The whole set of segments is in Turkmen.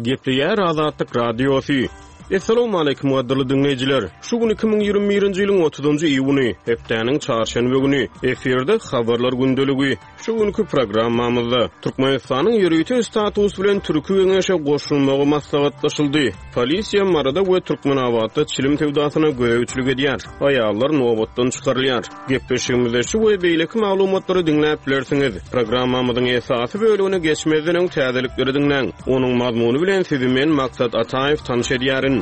Gepleýär Azatlyk Radiosy. Essalawmaleýkim gadyrly diňleýjiler! Şu gün 2021-nji ýylyň 30-njy iýuny, hepdäniň çarşenbe güni. Efirde Habarlar gündeligi. Şu günki programmamyzda Türkmenistanyň ýörite status bilen Türki Geňeşe goşulmagy maslahatlaşyldy. Polisiýa Maryda we Türkmenabatda çilim söwdasyna gözegçilik edýär. Aýallar nobatdan çykarylýar. Gepleşigimizde şu we beýleki maglumatlary diňläp bilersiňiz. Programmamyzyň esasy bölegine geçmezden öň täzelikleri diňläň. Onuň mazmuny bilen sizi men Maksat Ataýew tanyş edýärin.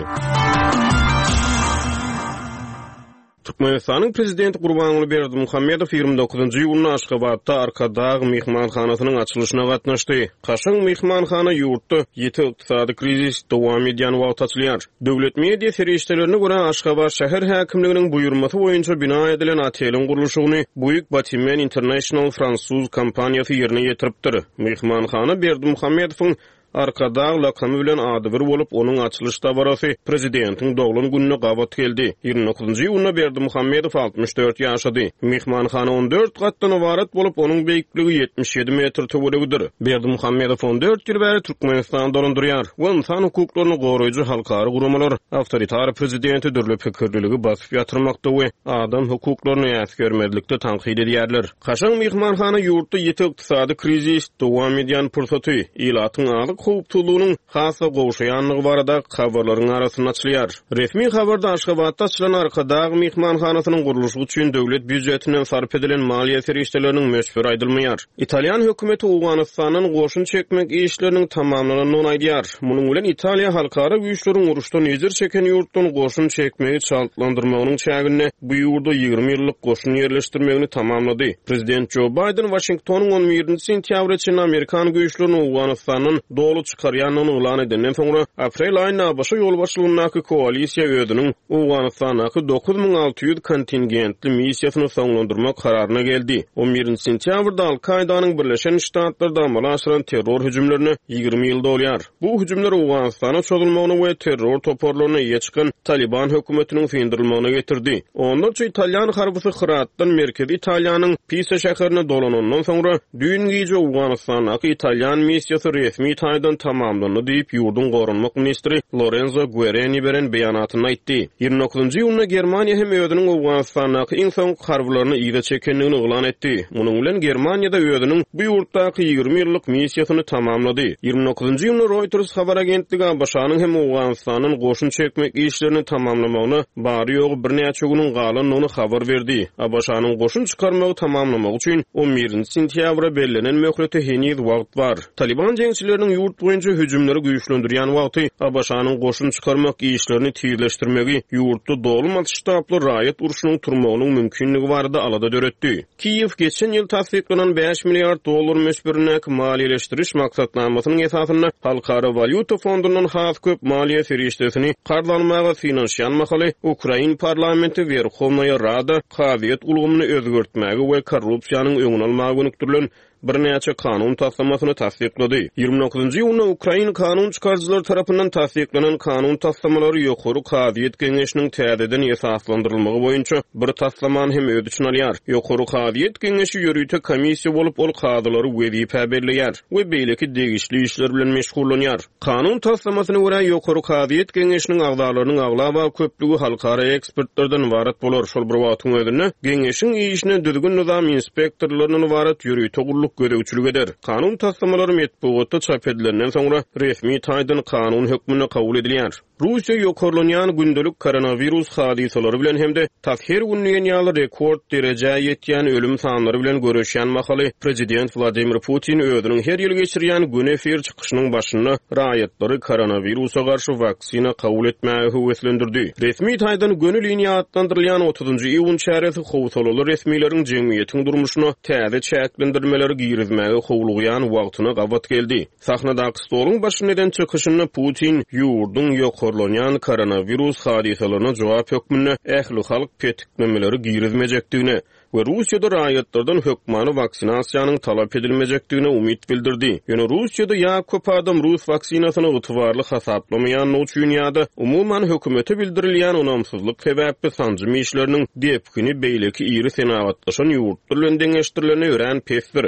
Türkmenistanyň Prezidenti Gurbanguly Berdimuhamedow 29-njy iýunda Aşgabatda Arkadag myhmanhanasynyň açylyşyna gatnaşdy. Kaşaň myhmanhana ýurtda ýiti ykdysady krizis dowam edýän wagty açylýar. Döwlet media serişdelerine görä, Aşgabat şäher häkimliginiň buýurmasy boýunça bina edilen oteliň gurluşygyny Buig Batimen International fransuz kompaniýasy ýerine ýetiripdir. Myhmanhana Berdimuhamedowyň Arkadag lakamy bilen adybir bolup, onuň açylyş dabarasy prezidentiň doglan gününe gabat geldi. 29-njy iýunda Berdimuhamedow 64 ýaşady. Myhmanhana 14 gatdan ybarat bolup, onuň beýikligi 77 metr töweregidir. Berdimuhamedow 14 ýyl bäri Türkmenistany dolandyrýar we ynsan hukuklaryny goraýjy halkara guramalar awtoritar prezidenti dürli pikirliligi basyp ýatyrmakda we adam hukuklaryny äsgermezlikde tankyt edýärler. Kaşaň myhmanhana ýurtda ýiti ykdysady krizis dowam edýän pursaty, ilatyň azyk howpsuzlygynyň has-da gowşaýandygy baradaky habarlaryň arasynda açylýar. Resmi habarda Aşgabatda açylan Arkadag myhmanhanasynyň gurluşygy üçin döwlet býujetinden sarp edilen maliýe serişdeleriniň möçberi aýdylmaýar. Italýan hökümeti Owganystandan goşun çekmek işleriniň tamamlanandygyny aýdýar. Munuň bilen Italiýa halkara güýçleriň uruşdan ejir çeken ýurtdan goşun çekmegi çaltlandyrmagynyň çäginde bu ýurda 20 ýyllyk goşun ýerleşdirmegini tamamlady. Prezident Jo Baýden Waşingtonyň on birinji sentýabra çenli amerikan güýçlerini Owganystandan doly çykarýandygyny yglan edenden soňra, aprel aýynda ABŞ ýolbaşçylygyndaky koalisiýa özüniň Owganystandaky 9600 kontingentli missiýasyny soňlandyrmak kararyna geldi. On birinji sentýabrda Al-Kaýdanyň Birleşen Ştatlarda amala aşyran terror hüjümlerine 20 ýyl dolýar. Bu hüjümler Owganystana çozulmagyna we terror toparlaryna eýe çykan Talyban hökümetiniň syndyrylmagyna getirdi. Onlarça italýan harbysy Hyratdan merkezi Italiýanyň Pisa şäherine dolanandan soňra, Düýn gije Owganystandaky italýan missiýasy resmi taýdan tamamlandy diýip, ýurduň goranmak ministri Lorenzo Guereni beren beýanatynda aýtdy. 29-njy iýunda Germaniýa hem özüniň Owganystandaky iň soňky harbylaryny yza çekendigini yglan etdi. Munuň bilen Germaniýa-da özüniň bu ýurtdaky 20 ýyllyk missiýasyny tamamlady. 29-njy iýunda Reuters habar agentligi ABŞ-nyň hem Owganystandan goşun çekmek işlerini tamamlamagyna bary-ýogy birnäçe günüň galandygyny habar berdi. ABŞ-nyň goşun çykarmagy tamamlamagy üçin on birinji sentýabra bellenen möhlete heniz wagt bar. Talyban jeňçileriniň ýurt boýunça hüjümleri güýçlendirýän wagty ABŞ-nyň goşun çykarmak işlerini tizleşdirmegi ýurtda doly masştably raýat urşunyň turmagynyň mümkinligi barada alada döretdi. Kiýew geçen ýyl tassyklanan bäş milliard dollar möçberindäki maliýeleşdiriş maksatnamasynyň esasynda Halkara walýuta fondundan has köp maliýe serişdesini karz almaga synanyşýan mahaly, ukrain parlamenti Werhownaýa Rada kazyýet ulgamyny özgertmäge we korrupsiýanyň öňüni almaga gönükdirilen birnäçe kanun taslamasyny tassyklady. 29-njy iýunda ukrain kanun çykaryjylary tarapyndan tassyklanan kanun taslamalary Ýokary kazyýet geňeşiniň täzeden esaslandyrylmagy boýunça bir taslamany hem öz içine alýar. Ýokary kazyýet geňeşi ýörite komissiýa bolup, ol kazylary wezipä belleýär we beýleki degişli işler bilen meşgullanýar. Kanun taslamasyna görä, Ýokary kazyýet geňeşiniň agzalarynyň aglaba köplügi halkara ekspertlerden ybarat bolar. Şol bir wagtyň özünde, geňeşiň işine düzgün-nyzam inspektorlaryndan ybarat ýörite gulluk gözegçilik eder. Kanun taslamalary metbugatda çap edilenden soňra, resmi taýdan kanun hökmünde kabul edilýär. Russiýa ýokarlanýan gündelik koronawirus hadysalary bilen hem-de tas her gün diýen ýaly rekord derejä ýetýän ölüm sanlary bilen göreşýän mahaly, prezident Wladimir Putin özüniň her ýyl geçirýän göni efir çykyşynyň başynda raýatlary koronawirusa garşy waksina kabul etmäge höweslendirdi. Resmi taýdan göni liniýa atlandyrylýan otuzynjy iýun çäresi howsalaly resmileriň jemgyýetiň durmuşyna täze çäklendirmeleri girizmäge howlugýan wagtyna gabat geldi. Sahnadaky stoluň başynda eden çykyşynda Putin ýurduň ýokarlanýan koronawirus hadysalaryna jogap hökmünde ählihalk petiklemeleri girizmejekdigine we Russiýada raýatlardan hökmany waksinasiýanyň talap edilmejekdigine umyt bildirdi. Ýöne Russiýada ýa köp adam rus waksinasyny ygtybarly hasaplamaýandygy üçin ýa-da umuman hökümete bildirilýän ynamsyzlyk sebäpli sanjym işleriniň depgini beýleki iri senagatlaşan ýurtlar bilen deňeşdirilende örän pesdir.